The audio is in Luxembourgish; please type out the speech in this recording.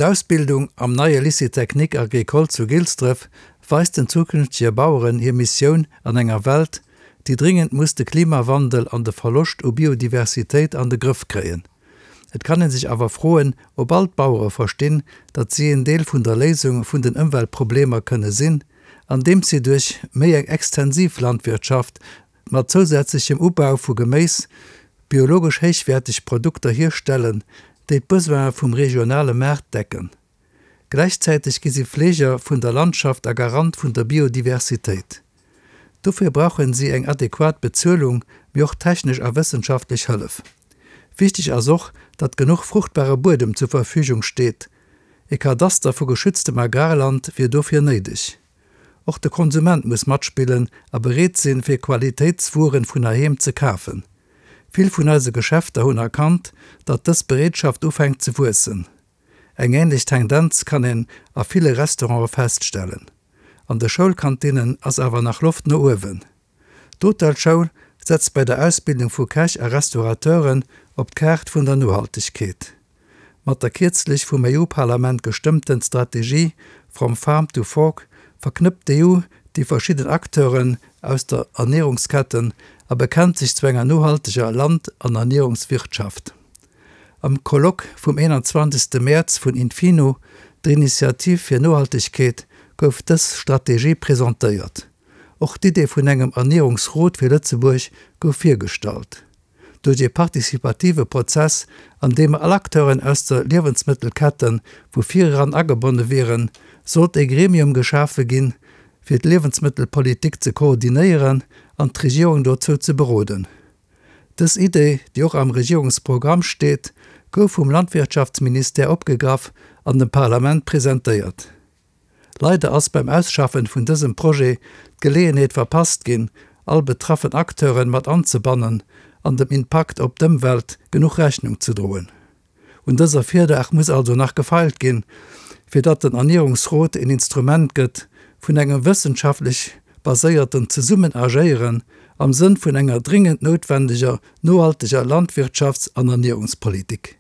D'Ausbildung am neie Lycée technique agricole zu Gilsdref weist den zukünftege Baueren hir Missioun an enger Welt, déi dringend muss de Klimawandel an de Verloscht u Biodiversitéit an de Grëff kréien. Et kann ee sech awer froen, ob all d'Bauere verstinn, datt si een Deel vun der Léisung vun den Ëmweltproblemer kënne sinn, andeems si duerch méi eng extensiv Landwirtschaft mat zousätzlechem Ubau vu Geméis biologesch héichwäerteg Produkter hierstellen, déi d'Besoine vum regionale Maart decken. Gläichzäiteg gi si Fleeger vun der Landschaft a Garant vun der Biodiversitéit. Dofir brauchen si eng adequat Bezuelung, mee och technesch a wëssenschaftlech Hëllef. Wichteg ass och, datt genuch fruchtbare Buedem zur Verfügung steet. E Kadaster vu geschütztem Agrarland wier dofir néideg. Och de Konsument muss matspillen a bereet sinn, fir Qualitéitswueren vun heiheem ze kafen. Vill vun eise Geschäfter hunn erkannt, datt dës Bereetschaft ufänkt ze wuessen. Eng änlech Tendenz kann een a ville Restaurante feststellen. An de Schoulkantinnen ass awer nach Loft no uewen. D'Hotelschoul setzt bei der Ausbildung vu Käch a Restaurateuren op d'Kaart vun der Nohaltegkeet. Mat der kierzlech vum EU-Parlament gestëmmten Strategie From Farm to Fork verknëppt d'EU déi verschidden Acteuren aus der Ernierungsketten a bekennt sech zu enger nohalteger Land an Ernierungswirtschaft. Am Colloque vum 21. Mäerz vun Infino, der Initiativ fir Nohaltegkeet, gouf dës Strategie presentéiert. Och d'Idee vun engem Ernierungsrot fir Lëtzebuerg gouf virgestallt. Duerch ee participative Prozess, an deem all Acteuren aus der Liewensmëttelkette vu vireran agebonne wieren, sollt ee Gremium geschafe ginn, fir d'Liewensmëttelpolitik ze koordinéieren an d'Regierung dozou ze beroden. Dës Idee, déi och am Regierungsprogramm steet, gouf vum Landwirtschaftsministère opgegraff an dem Parlament presentéiert. Leider ass beim Ausschaffen vun dësem Projet d'Geleeënheet verpasst ginn, all betraffen Acteuren mat anzebannen an dem Impakt op d'Ëmwelt genuch Rechnung ze droen. Un dëser Virlag muss also nach gefeilt ginn, fir datt den Ernierungsrot een Instrument gëtt vun engem wëssenschaftlech baséierten Zesummenagéieren am Sënn vun enger dringend noutwendeger nohalteger Landwirtschafts an Ernierungspolitik.